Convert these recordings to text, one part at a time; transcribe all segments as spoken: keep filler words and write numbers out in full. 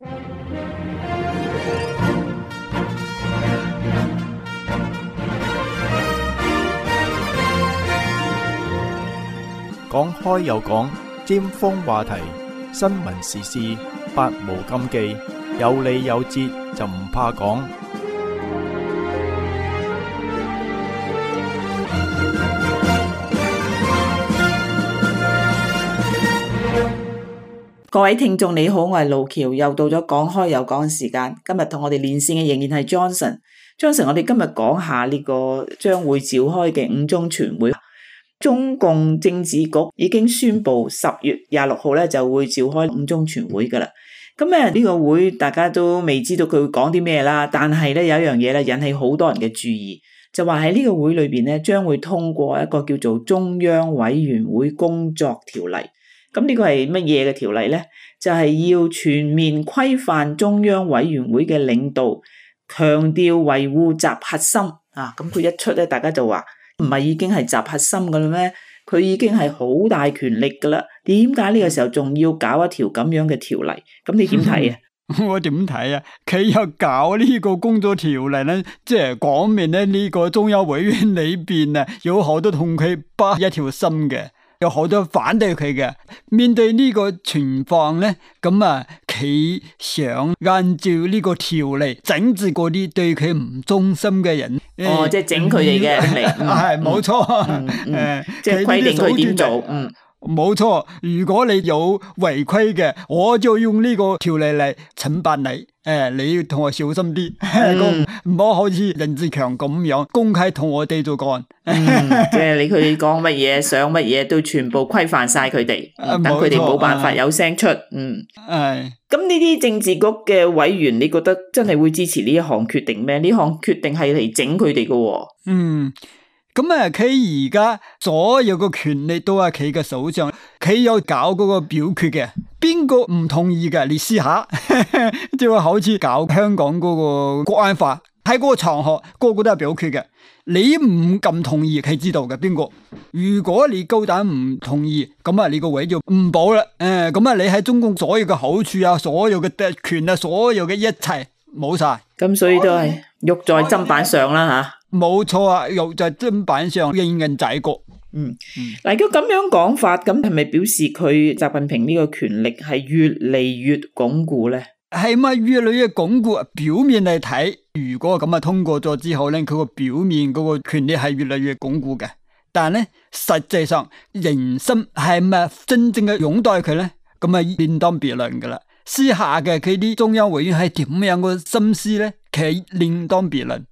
講開又講，尖鋒話題，新聞時事，百無禁忌，有理有節就唔怕講。各位聽眾你好，我係路橋，又到咗講開又講嘅時間。今日同我哋連線嘅仍然係 Johnson。Johnson， 我哋今日講下呢個將會召開嘅五中全會。中共政治局已經宣布十月廿六號咧就會召開五中全會噶啦。咁咧呢個會大家都未知道佢會講啲咩啦，但係咧有一樣嘢咧引起好多人嘅注意，就話喺呢個會裏邊咧將會通過一個叫做中央委員會工作條例。咁呢個係乜嘢嘅條例咧？就係、是、要全面規範中央委員會嘅領導，強調維護習核心啊！咁佢一出咧，大家就話唔係已經係習核心噶啦咩？佢已經係好大權力噶啦，點解呢個時候仲要搞一條咁樣嘅條例？咁你點睇啊？我點睇啊？佢又搞呢個工作條例咧，即係講明咧呢個中央委員裏邊啊，有好多同佢不一條心嘅。有好多反對佢嘅，面對呢個情況咧，咁啊，佢想按照呢個條例整治嗰啲對佢唔忠心嘅人。哦，即係整佢哋嘅嚟，係冇錯。誒，即係規定佢點做。嗯，冇錯。如果你有違規嘅，我就用呢個條例嚟懲罰你。誒，你要同我小心啲，唔好好似任志強咁樣公開同我哋做幹。即係你佢哋講乜嘢，想乜嘢都全部規範晒佢哋，等佢哋冇辦法有聲出。嗯，係。咁呢啲政治局嘅委員，你覺得真係會支持呢一項決定咩？呢項決定係嚟整佢哋嘅。嗯。咁啊，佢而家所有嘅權力都係佢嘅手上，佢有搞嗰個表決嘅，邊個唔同意嘅？你試下，即係好似搞香港嗰個國安法，喺嗰個場合個個都係表決嘅，你唔咁同意，佢知道嘅邊個？如果你高膽唔同意，咁啊，你個位就唔保啦。誒，咁啊，你喺中共所有嘅好處啊，所有嘅特權啊，所有嘅一切冇晒。咁所以都係肉在砧板上啦吓。冇錯啊，又就係砧板上任人宰割。嗯，嗱，如果咁樣講法，咁係咪表示佢習近平呢個權力係越嚟越鞏固咧？係咪越嚟越鞏固？表面嚟睇，如果咁啊通過咗之後咧，佢個表面嗰個權力係越嚟越鞏固嘅。但係咧，實際上人心係咪真正嘅擁戴佢咧？咁啊另當別論噶啦。私下嘅佢啲中央委員係點樣個心思咧？其實另當別論。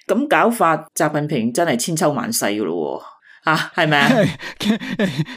咁搞法，習近平真係千秋萬世噶咯，啊，係咪啊？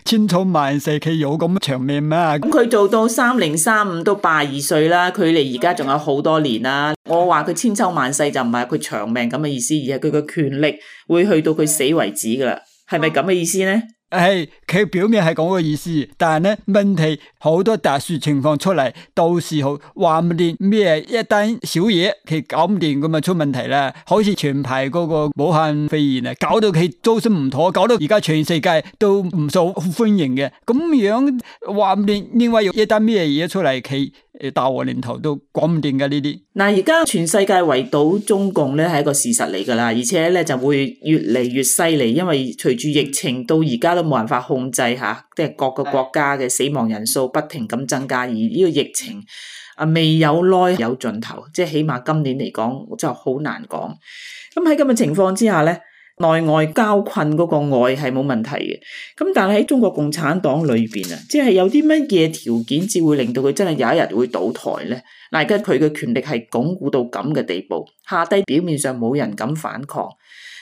千秋萬世，佢有咁長命咩？咁佢做到三零三五都八二歲啦，距離而家仲有好多年啦。我話佢千秋萬世就唔係佢長命咁嘅意思，而係佢嘅權力會去到佢死為止噶啦，係咪咁嘅意思呢？係佢表面係講個意思，但係咧問題好多特殊情況出嚟，到時候話唔定咩一單小嘢佢搞唔掂咁啊出問題啦，好似前排嗰個武漢肺炎啊，搞到佢周身唔妥，搞到而家全世界都唔受歡迎嘅，咁樣話唔定另外有一單咩嘢出嚟，佢誒大禍臨頭都講唔掂噶呢啲。嗱，而家全世界圍堵中共咧係一個事實嚟噶啦，而且咧就會越嚟越犀利，因為隨住疫情到而家都冇辦法控制吓，即係各個國家嘅死亡人數不停咁增加，而呢個疫情啊未有耐有盡頭，即係起碼今年嚟講就好難講。咁喺咁嘅情況之下咧，內外交困嗰個外係冇問題嘅，咁但係喺中國共產黨裏邊啊，即係有啲乜嘢條件至會令到佢真係有一日會倒台咧？嗱，而家佢嘅權力係鞏固到咁嘅地步，下低表面上冇人敢反抗，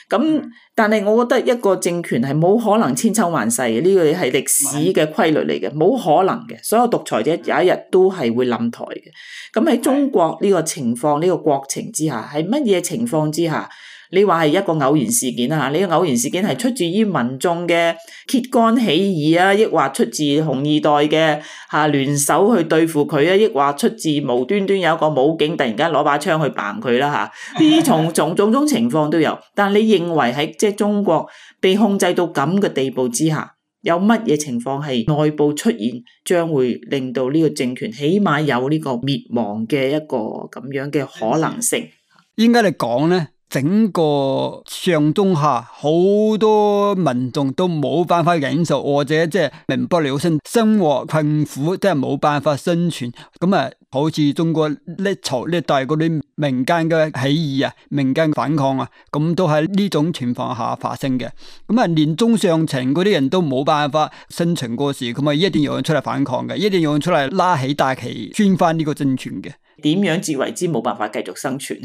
咁但係我覺得一個政權係冇可能千秋萬世嘅，呢個係歷史嘅規律嚟嘅，冇可能嘅，所有獨裁者有一日都係會冧台嘅。咁喺中國呢個情況，呢個國情之下，係乜嘢情況之下？你話係一個偶然事件啊？呢個偶然事件係出自於民眾嘅揭竿起義啊，抑或出自紅二代嘅吓聯手去對付佢啊，抑或出自無端端有一個武警突然間攞把槍去嘭佢啦吓？呢啲種種種種情況都有。但係你認為喺即係中國被控制到咁嘅地步之下，有乜嘢情況係內部出現，將會令到呢個政權起碼有呢個滅亡嘅一個咁樣嘅可能性。應該嚟講咧，整個上中下好多民眾都冇辦法忍受，或者即係民不聊生，生活困苦，即係冇辦法生存。咁啊，好似中國歷朝歷代嗰啲民間嘅起義啊、民間反抗啊，咁都係呢種情況下發生嘅。咁啊，連中上層嗰啲人都冇辦法生存過時，咁啊一定有人出嚟反抗嘅，一定有人出嚟拉起大旗宣翻呢個政權嘅。點樣至為之冇辦法繼續生存？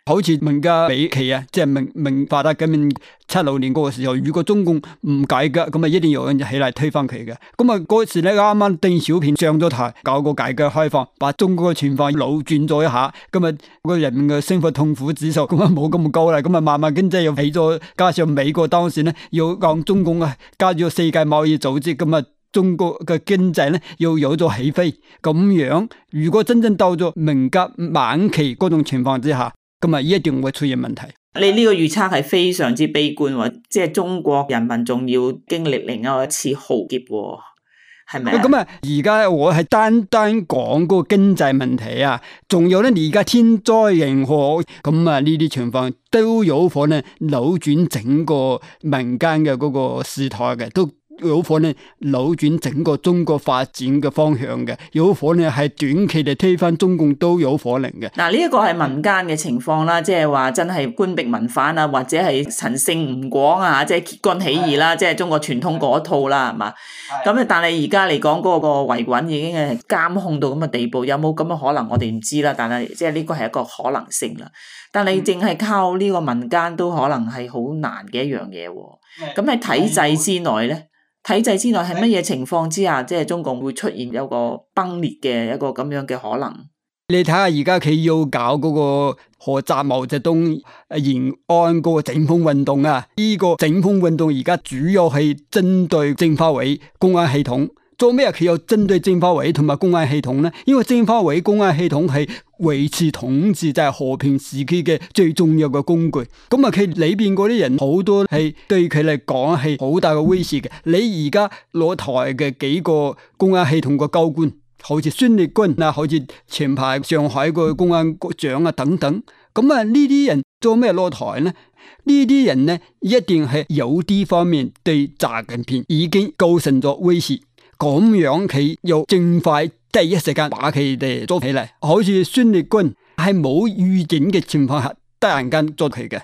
好似文革尾期啊，即係明明發達革命七六年嗰個時候，如果中共唔改革，咁啊一定有人起嚟推翻佢嘅。咁啊嗰時咧啱啱鄧小平上咗台，搞個改革開放，把中國嘅情況扭轉咗一下，咁啊個人民嘅生活痛苦指數咁啊冇咁高啦，咁啊慢慢經濟又起咗，加上美國當時咧要講中共啊加入世界貿易組織，咁啊中國嘅經濟咧又有咗起飛。咁樣如果真正到咗文革晚期嗰種情況之下，咁啊，一定會出現問題。你呢個預測係非常之悲觀喎，即係中國人民仲要經歷另外一次浩劫，係咪啊？咁啊，而家我係單單講嗰個經濟問題啊，仲有咧，而家天災人禍，咁啊呢啲情況都有可能扭轉整個民間嘅嗰個事態嘅，都有可能扭轉整個中國發展嘅方向嘅，有可能係短期嚟推翻中共都有可能嘅。嗱，呢一個係民間嘅情況啦，即係話真係官逼民反啊，或者係陳勝吳廣啊，即係揭竿起義啦，即係中國傳統嗰套啦，係嘛？咁啊，但係而家嚟講嗰個維穩已經係監控到咁嘅地步，有冇咁嘅可能我哋唔知啦。但係即係呢個係一個可能性啦。但係淨係靠呢個民間都可能係好難嘅一樣嘢。咁喺體制之內咧？體制之內係乜嘢情況之下，即係中共會出現有個崩裂嘅一個咁樣嘅可能？你睇下而家佢要搞嗰個何澤毛澤東延安嗰個整風運動啊，呢、這個整風運動而家主要係針對政法委、公安系統。做咩佢有針對政法委同埋公安系統呢？因為政法委、公安系統係維持統治，就係、是、和平時期嘅最重要嘅工具。咁啊，佢裏邊嗰啲人好多係對佢嚟講係好大嘅威脅嘅。你而家攞台嘅幾個公安系統嘅高官，好似孫力軍啊，好似前排上海個公安局長啊等等。咁啊，呢啲人做咩攞台呢？呢啲人呢，一定係有啲方面對習近平已經構成咗威脅。咁樣佢又盡快第一時間把佢哋捉起嚟，好似孫力軍係冇預警嘅情況下突然間捉佢嘅。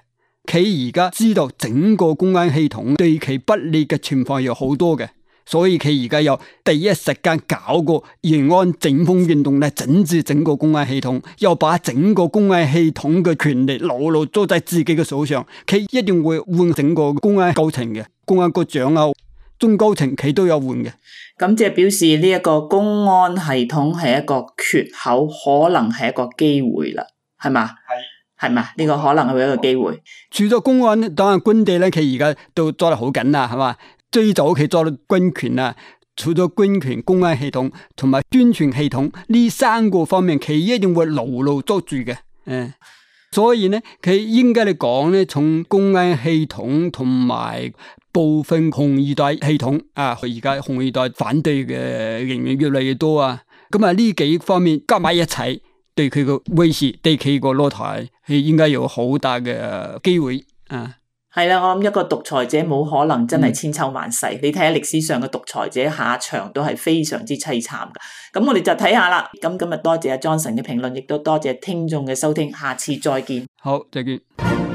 佢而家知道整個公安系統對佢不利嘅情況有好多嘅，所以佢而家又第一時間搞個延安整風運動嚟整治整個公安系統，又把整個公安系統嘅權力牢牢捉在自己嘅手上。佢一定會換整個公安高層嘅，公安局長啊、中高層佢都有換嘅。咁即係表示呢一個公安系統係一個缺口，可能係一個機會啦，係嘛？係係嘛？呢個可能係一個機會。除咗公安，當然軍隊咧，佢而家都抓得好緊啦，係嘛？最早佢抓到軍權啊，除咗軍權、公安系統同埋宣傳系統呢三個方面，佢一定會牢牢捉住嘅。誒，所以咧，佢應該嚟講咧，從公安系統同埋部分紅二代系統啊，而家紅二代反對嘅人員越嚟越多啊，咁啊呢幾方面加埋一齊，對佢個威脅，對佢個落台，係應該有好大嘅機會啊。係啦，我諗一個獨裁者冇可能真係千秋萬世，嗯、你睇下歷史上嘅獨裁者下場都係非常之凄慘噶。咁我哋就睇下啦。咁今日多謝阿 Johnson 嘅評論，亦都多謝聽眾嘅收聽，下次再見。好，再見。